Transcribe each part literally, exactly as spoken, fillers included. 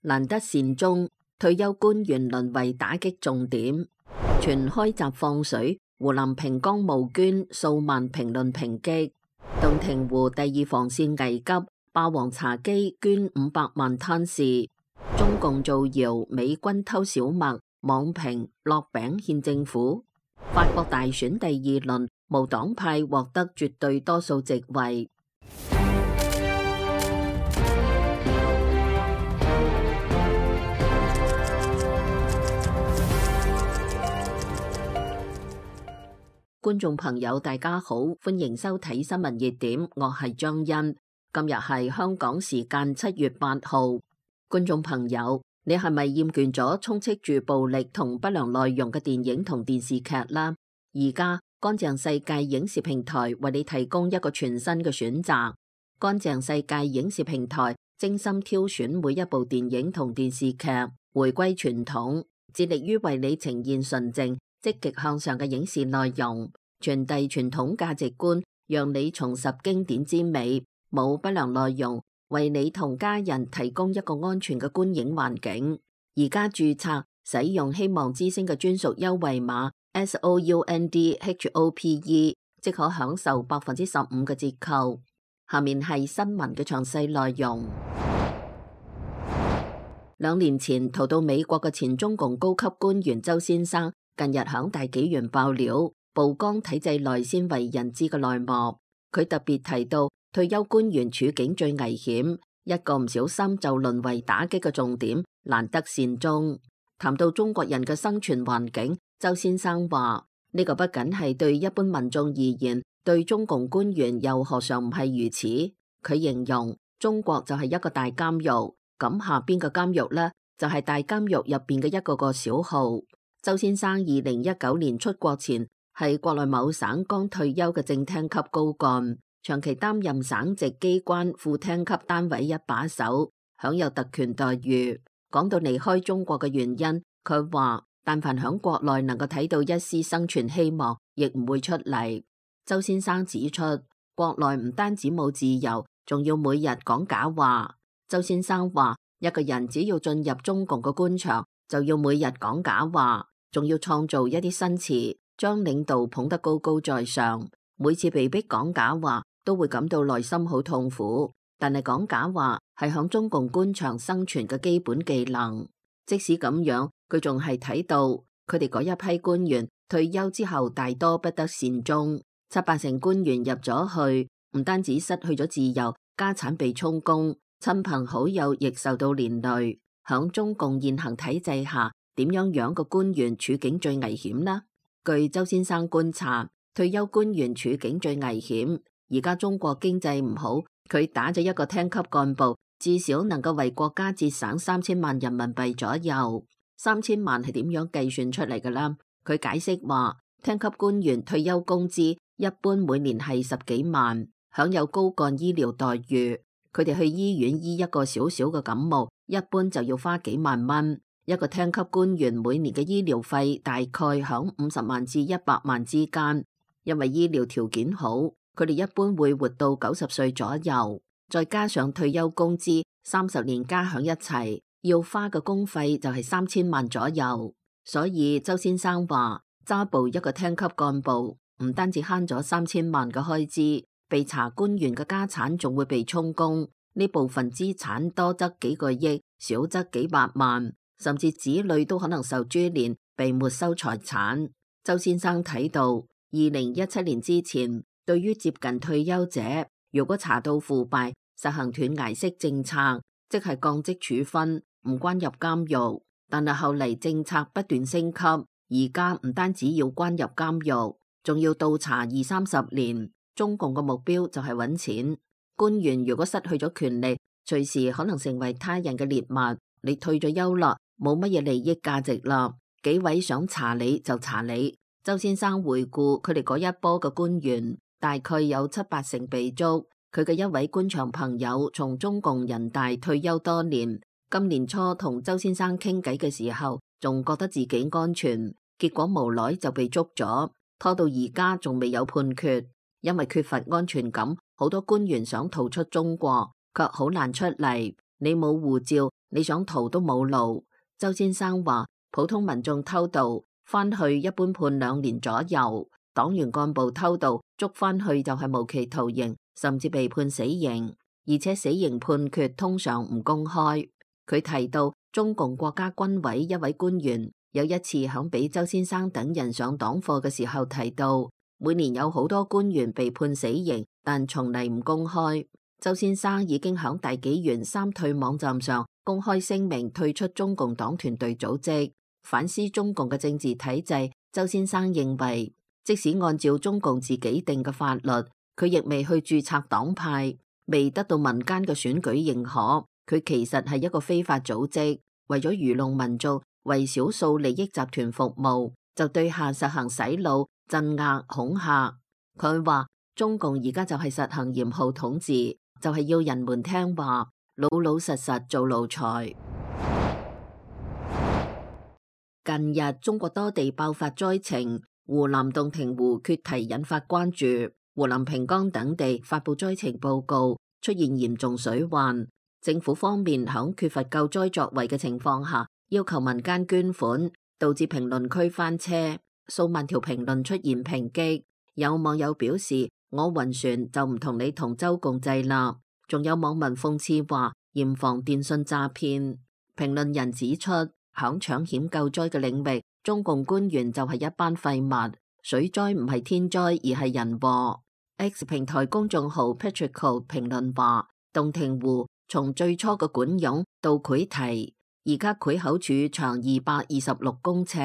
難得善終，退休官員淪為打擊重點。全開閘放水，湖南平江募捐數萬評論抨擊。洞庭湖第二防線危急，霸王茶姬捐五百萬攤事。中共造謠美軍偷小麥，網評落餅獻政府。法國大選第二輪，無黨派獲得絕對多數席位。觀眾朋友大家好，歡迎收睇新聞熱點，我係張欣。今日係香港時間七月八號。觀眾朋友，你係咪厭倦咗充斥住暴力同不良內容嘅電影同電視劇啦？而家乾淨世界影視平台為你提供一個全新嘅選擇。乾淨世界影視平台精心挑選每一部電影同電視劇，回歸傳統，致力於為你呈現純正積極向上嘅影視內容，傳遞傳統價值觀，讓你重拾經典之美，冇不良內容，為你同家人提供一個安全嘅觀影環境。而家註冊使用希望之聲嘅專屬優惠碼 S O U N D H O P E， 即可享受百分之十五嘅折扣。下面係新聞嘅詳細內容。兩年前逃到美國嘅前中共高級官員周先生，近日響大紀元爆料，曝光體制內鮮為人知嘅內幕。佢特別提到退休官員處境最危險，一個唔小心就淪為打擊嘅重點，難得善終。談到中國人嘅生存環境，周先生話：呢個不僅係對一般民眾而言，對中共官員又何嘗唔係如此？佢形容中國就係一個大監獄，咁下邊嘅監獄呢，就係大監獄入邊嘅一個個小號。周先生二零一九年出國前係國內某省剛退休嘅正廳級高幹，長期擔任省直機關副廳級單位一把手，享有特權待遇。講到離開中國嘅原因，佢話但凡響國內能夠睇到一絲生存希望，亦唔會出嚟。周先生指出，國內唔單止冇自由，仲要每日講假話。周先生話，一個人只要進入中共嘅官場，就要每日講假話，仲要創造一啲新詞，將領導捧得高高在上。每次被逼講假話，都會感到內心好痛苦。但係講假話係響中共官場生存嘅基本技能。即使咁樣，佢仲係睇到佢哋嗰一批官員退休之後，大多不得善終。七八成官員入咗去，唔單止失去咗自由，家產被充公，親朋好友亦受到連累。響中共現行體制下，點樣樣個官員處境最危險呢？據周先生觀察，退休官員處境最危險。而家中國經濟唔好，佢打咗一個廳級幹部，至少能夠為國家節省三千萬人民幣左右。三千萬係點樣計算出嚟㗎啦？佢解釋話，廳級官員退休工資一般每年係十幾萬，享有高幹醫療待遇。佢哋去醫院醫一個小小嘅感冒，一般就要花幾萬蚊。一個廳級官員每年嘅醫療費大概響五十萬至一百萬之間。因為醫療條件好，佢哋一般會活到九十歲左右。再加上退休工資，三十年加響一齊，要花嘅公費就係三千萬左右。所以周先生話，揸部一個廳級幹部，唔單止慳咗三千萬嘅開支，被查官員嘅家產仲會被充公。呢部分資產多則幾個億，少則幾百萬，甚至子女都可能受株連，被沒收財產。周先生睇到，二零一七年之前，對於接近退休者，如果查到腐敗，實行斷崖式政策，即係降職處分，唔關入監獄。但係後嚟政策不斷升級，而家唔單止要關入監獄，仲要倒查二三十年。中共嘅目標就係揾錢。官員如果失去咗權力，隨時可能成為他人嘅獵物。你退咗休啦，冇乜嘢利益價值啦，紀委想查你就查你。周先生回顧佢哋嗰一波嘅官員，大概有七八成被捉。佢嘅一位官場朋友從中共人大退休多年，今年初同周先生傾偈嘅時候，仲覺得自己安全，結果無奈就被捉咗，拖到而家仲未有判決。因為缺乏安全感，好多官員想逃出中國，卻好難出嚟。你冇護照，你想逃都冇路。周先生話，普通民眾偷渡返去一般判兩年左右，黨員幹部偷渡捉返去就係無期徒刑，甚至被判死刑，而且死刑判決通常唔公開。佢提到中共國家軍委一位官員有一次響俾周先生等人上黨課嘅時候提到，每年有好多官員被判死刑，但從嚟唔公開。周先生已經響大紀元三退網站上公開聲明退出中共黨團隊組織，反思中共嘅政治體制。周先生認為，即使按照中共自己定嘅法律，佢亦未去註冊黨派，未得到民間嘅選舉認可，佢其實係一個非法組織，為咗愚弄民眾，為少數利益集團服務，就對下實行洗腦、鎮壓、恐嚇。佢話中共而家就係實行嚴酷統治，就係要人們聽話，老老實實做奴才。近日中國多地爆發災情，湖南洞庭湖決堤引發關注，湖南平江等地發布災情報告，出現嚴重水患。政府方面響缺乏救災作為嘅情況下，要求民間捐款，導致評論區翻車，數萬條評論出現抨擊。有網友表示，我暈船就唔同你同舟共濟啦。仲有網民諷刺話，嚴防電信詐騙。評論人指出，響搶險救災嘅領域，中共官員就係一班廢物。水災唔係天災而係人禍。X 平台公眾號 Patrico 評論話，洞庭湖從最初嘅管湧到潰堤，而家潰口處長二百二十六公尺，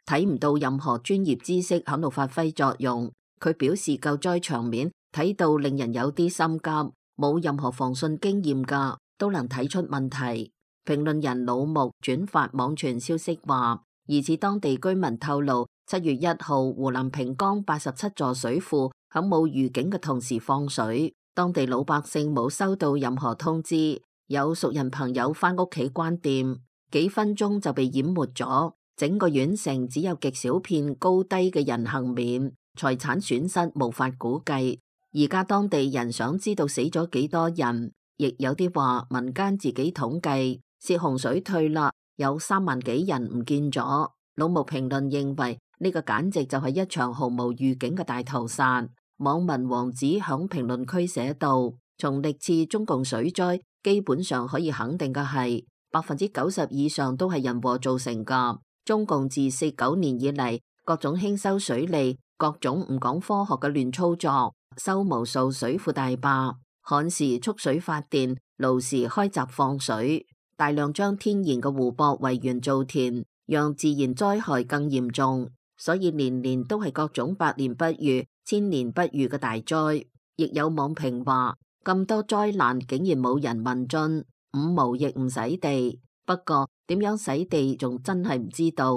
睇唔到任何專業知識喺度發揮作用。佢表示救災場面睇到令人有啲心急，冇任何防汛經驗噶都能睇出問題。評論人老木轉發網傳消息話，疑似當地居民透露，七月一號湖南平江八十七座水庫喺冇預警嘅同時放水，當地老百姓冇收到任何通知，有熟人朋友返屋企關店，幾分鐘就被淹沒咗，整個縣城只有極小片高低嘅人幸免，財產損失無法估計。而家當地人想知道死咗幾多人，亦有啲話民間自己統計，洩洪水退啦，有三萬幾人唔見咗。老木評論認為呢個簡直就係一場毫無預警嘅大屠殺。網民王子響評論區寫道，從歷次中共水災，基本上可以肯定嘅係，百分之九十以上都係人禍造成噶。中共自四九年以嚟，各種興修水利，各種唔講科學嘅亂操作，修無數水庫大壩，旱時蓄水發電，澇時開閘放水，大量將天然嘅湖泊圍園造田，讓自然災害更嚴重，所以年年都係各種百年不遇、千年不遇嘅大災。亦有網評話，咁多災難竟然冇人問津，五毛亦唔洗地。不過點樣洗地仲真係唔知道。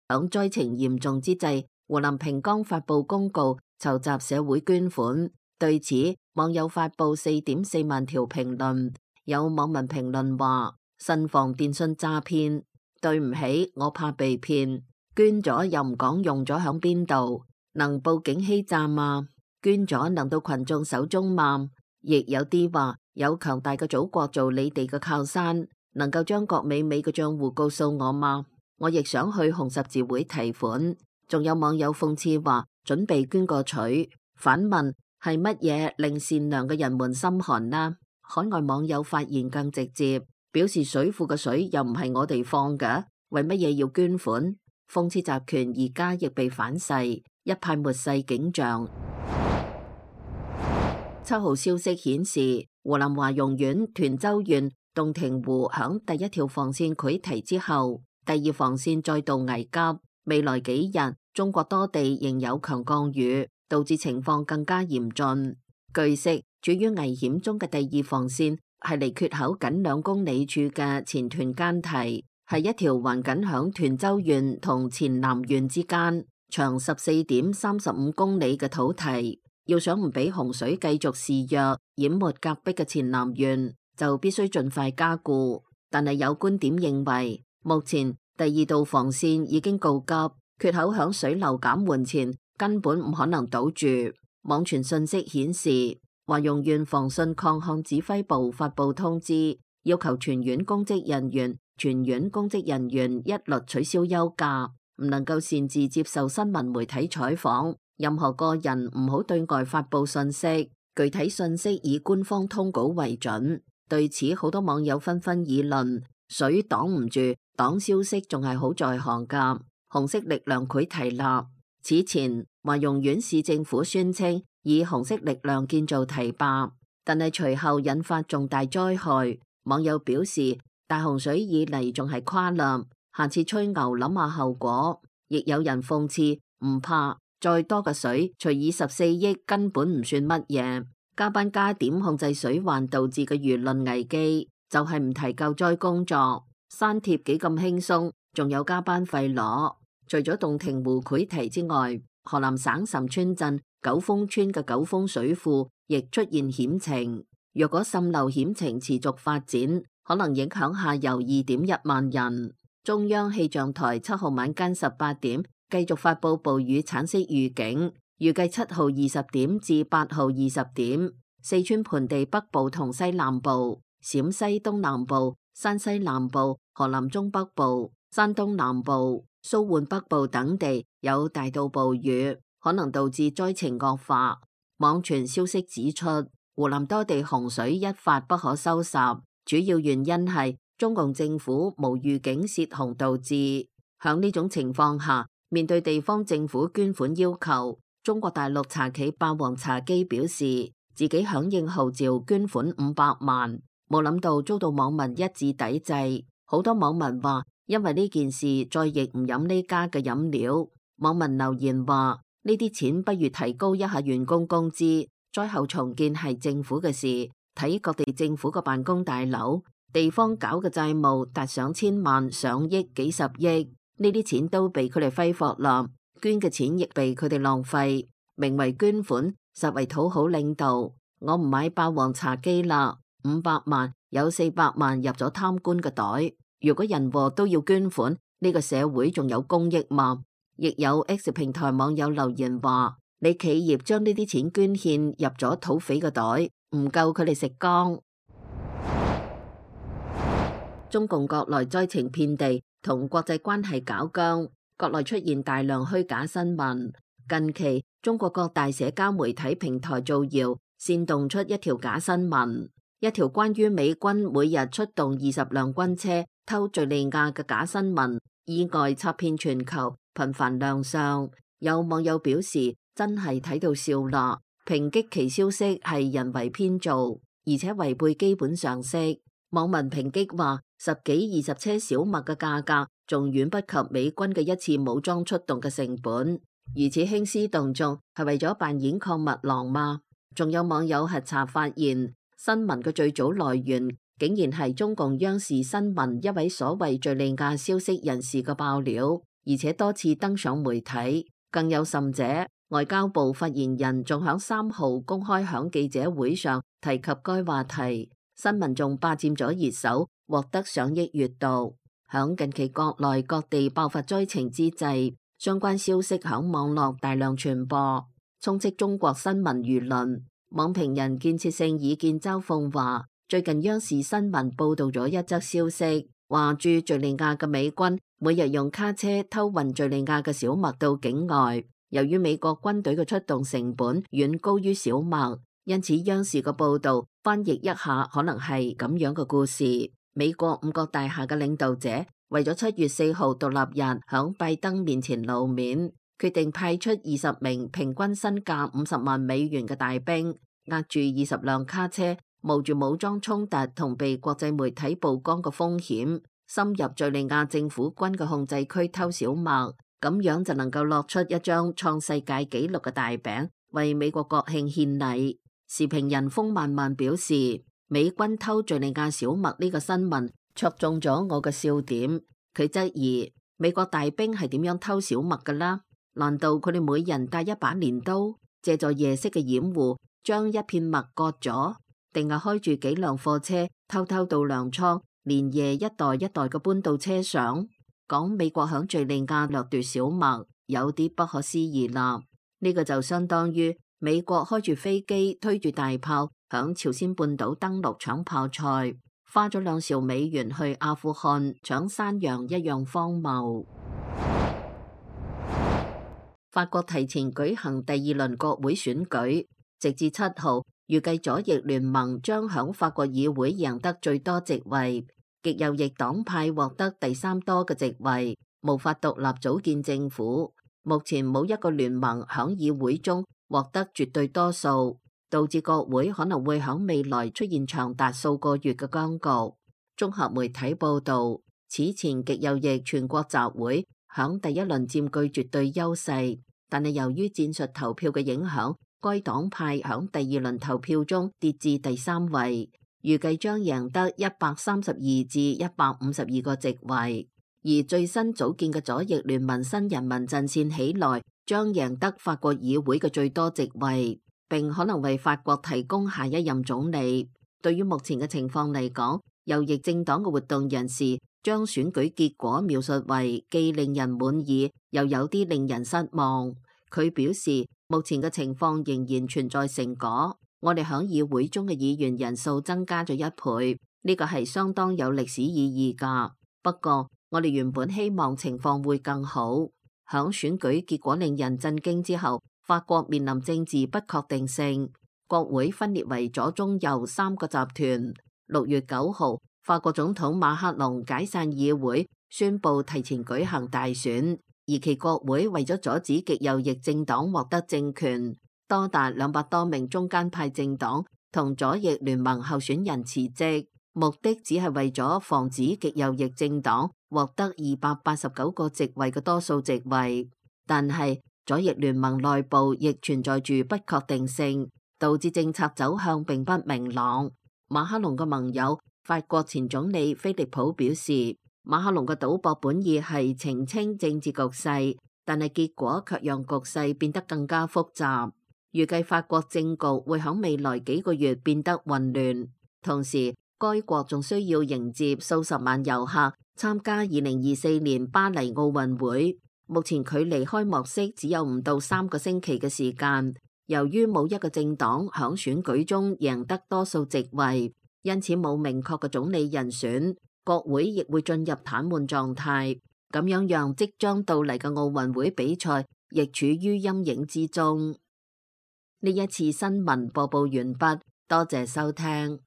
響災情嚴重之際，湖南平江發布公告籌集社會捐款，對此網友發布四點四萬條評論。有網民評論話，慎防電信詐騙，對唔起，我怕被騙，捐咗又唔講用咗響邊度，能報警欺詐嗎？捐咗能到群眾手中嗎？亦有啲話，有強大嘅祖國做你哋嘅靠山，能夠將郭美美嘅賬戶告訴我嗎？我亦想去紅十字會提款。仲有網友諷刺話，準備捐個取，反問係乜嘢令善良嘅人們心寒呢？海外網友發言更直接，表示水庫嘅水又唔係我哋放嘅，為乜嘢要捐款？諷刺集權而家亦被反噬，一派末世景象。七號消息顯示，湖南華容縣涿州縣洞庭湖響第一條防線潰堤之後，第二防線再度危急。未來幾日，中國多地仍有強降雨，導致情況更加嚴峻。據悉，處於危險中嘅第二防線係離缺口僅兩公里處嘅前涿間堤，係一條橫緊響涿州縣同黔南縣之間，長十四點三十五公里嘅土堤。要想唔俾洪水繼續肆虐淹沒隔壁嘅黔南縣，就必須盡快加固。但係有觀點認為，目前第二道防線已經告急，缺口響水流減緩前根本唔可能堵住。網傳信息顯示，華容縣防汛抗旱指揮部發布通知，要求全院公職人員、全院公職人員一律取消休假，唔能夠擅自接受新聞媒體採訪，任何個人唔好對外發佈信息，具體信息以官方通稿為準。對此，好多網友紛紛議論：水擋唔住，擋消息仲係好在行㗎。紅色力量佢提立，此前華容縣市政府宣稱以紅色力量建造堤壩，但係隨後引發重大災害。網友表示：大洪水以嚟仲係誇啦，下次吹牛諗下後果。亦有人諷刺：唔怕，再多嘅水除以十四億根本唔算乜嘢。加班加點控制水患導致嘅輿論危機，就係唔提救災工作。刪帖幾咁輕鬆，仲有加班費攞。除咗洞庭湖潰堤之外，河南省岑村鎮九峰村嘅九峰水庫亦出現險情。若果滲漏險情持續發展，可能影響下游二點一萬人。中央氣象台七號晚間十八點繼續發佈暴雨橙色預警。預計七號二十點至八號二十點，四川盆地北部同西南部、陝西東南部、山西南部、河南中北部、山東南部、蘇皖北部等地有大到暴雨，可能導致災情惡化。網傳消息指出，湖南多地洪水一發不可收拾，主要原因係中共政府無預警泄洪導致。響呢種情況下，面對地方政府捐款要求，中國大陸茶企霸王茶姬表示自己響應號召捐款五百萬，冇諗到遭到網民一致抵制。好多網民話因為呢件事再亦唔飲呢家嘅飲料。網民留言話呢啲錢不如提高一下員工工資，災後重建係政府嘅事，睇各地政府嘅辦公大樓，地方搞嘅債務達上千萬、上億、幾十億，呢啲錢都被佢哋揮霍啦。捐嘅錢亦被佢哋浪費，名為捐款，實為討好領導。我唔買霸王茶姬啦，五百萬有四百萬入咗貪官嘅袋。如果人禍都要捐款，呢個社會仲有公益嗎？亦有 X 平台網友留言話：你企業將呢啲錢捐獻入咗土匪嘅袋，唔夠佢哋食光。中共國內災情遍地，同國際關係搞僵。國內出現大量虛假新聞，近期中國各大社交媒體平台造謠，煽動出一條假新聞，一條關於美軍每日出動二十輛軍車偷敘利亞嘅假新聞，意外插遍全球，頻繁亮相。有網友表示真係睇到笑啦，抨擊其消息係人為編造，而且違背基本常識。網民抨擊話，十幾二十車小麥嘅價格仲遠不及美軍嘅一次武裝出動嘅成本，如此興師動眾係為咗扮演抗密郎嗎？仲有網友核查發現，新聞嘅最早來源竟然係中共央視新聞一位所謂敘利亞消息人士嘅爆料，而且多次登上媒體。更有甚者，外交部發言人仲響三號公開響記者會上提及該話題，新聞仲霸佔咗熱搜，獲得上億閱讀。響近期國內各地爆發災情之際，相關消息響網絡大量傳播，充斥中國新聞輿論。網評人建設性意見周鳳話，最近央視新聞報道咗一則消息，話駐敘利亞嘅美軍每日用卡車偷運敘利亞嘅小麥到境外，由於美國軍隊嘅出動成本遠高於小麥，因此央視嘅報道翻譯一下可能係咁樣嘅故事。美國五角大廈嘅領導者為咗七月四號獨立日響拜登面前露面，決定派出二十名平均身價五十萬美元嘅大兵，押住二十輛卡車，冒住武裝衝突同被國際媒體曝光嘅風險，深入敘利亞政府軍嘅控制區偷小麥，咁樣就能夠落出一張創世界紀錄嘅大餅，為美國國慶獻禮。時評人風漫漫表示，美軍偷敘利亞小麥呢個新聞戳中咗我嘅笑點。佢質疑美國大兵係點樣偷小麥㗎啦？難道佢哋每人帶一把鐮刀，借助夜色嘅掩護將一片麥割咗，定係開住幾輛貨車偷偷到糧倉，連夜一袋一袋嘅搬到車上？講美國響敘利亞掠奪小麥，有啲不可思議啦。呢個就相當於美國開住飛機推住大炮響朝鮮半島登陸搶泡菜，花咗兩兆美元去阿富汗搶山羊一樣荒謬。法國提前舉行第二輪國會選舉，直至七號，預計左翼聯盟將響法國議會贏得最多席位，極右翼黨派獲得第三多嘅席位，無法獨立組建政府。目前冇一個聯盟響議會中獲得絕對多數，導致國會可能會響未來出現長達數個月嘅僵局。綜合媒體報道，此前極右翼全國集會響第一輪佔據絕對優勢，但係由於戰術投票嘅影響，該黨派響第二輪投票中跌至第三位，預計將贏得一百三十二至一百五十二個席位。而最新組建嘅左翼聯盟新人民陣線起來，將贏得法國議會嘅最多席位，並可能為法國提供下一任總理。對於目前嘅情況嚟講，右翼政黨嘅活動人士將選舉結果描述為既令人滿意，又有啲令人失望。佢表示，目前嘅情況仍然存在成果，我哋響議會中嘅議員人數增加咗一倍，呢個係相當有歷史意義㗎。不過，我哋原本希望情況會更好。響選舉結果令人震驚之後，法國面臨政治不確定性，國會分裂為左中右三個集團。六月九號，法國總統馬克龍解散議會，宣布提前舉行大選，而其國會為咗阻止極右翼政黨獲得政權，多達兩百多名中間派政黨同左翼聯盟候選人辭職，目的只係為咗防止極右翼政黨獲得二百八十九個席位嘅多數席位。但係左翼聯盟內部亦存在住不確定性，導致政策走向並不明朗。馬克龍嘅盟友法國前總理菲利普表示，馬克龍嘅賭博本意係澄清政治局勢，但係結果卻讓局勢變得更加複雜。預計法國政局會喺未來幾個月變得混亂，同時該國仲需要迎接數十萬遊客參加二零二四年巴黎奧運會。目前距離開幕式只有唔到三個星期嘅時間。由於冇一個政黨響選舉中贏得多數席位，因此冇明確嘅總理人選，國會亦會進入癱瘓狀態，咁樣讓即將到嚟嘅奧運會比賽亦處於陰影之中。呢一次新聞播報完畢，多謝收聽。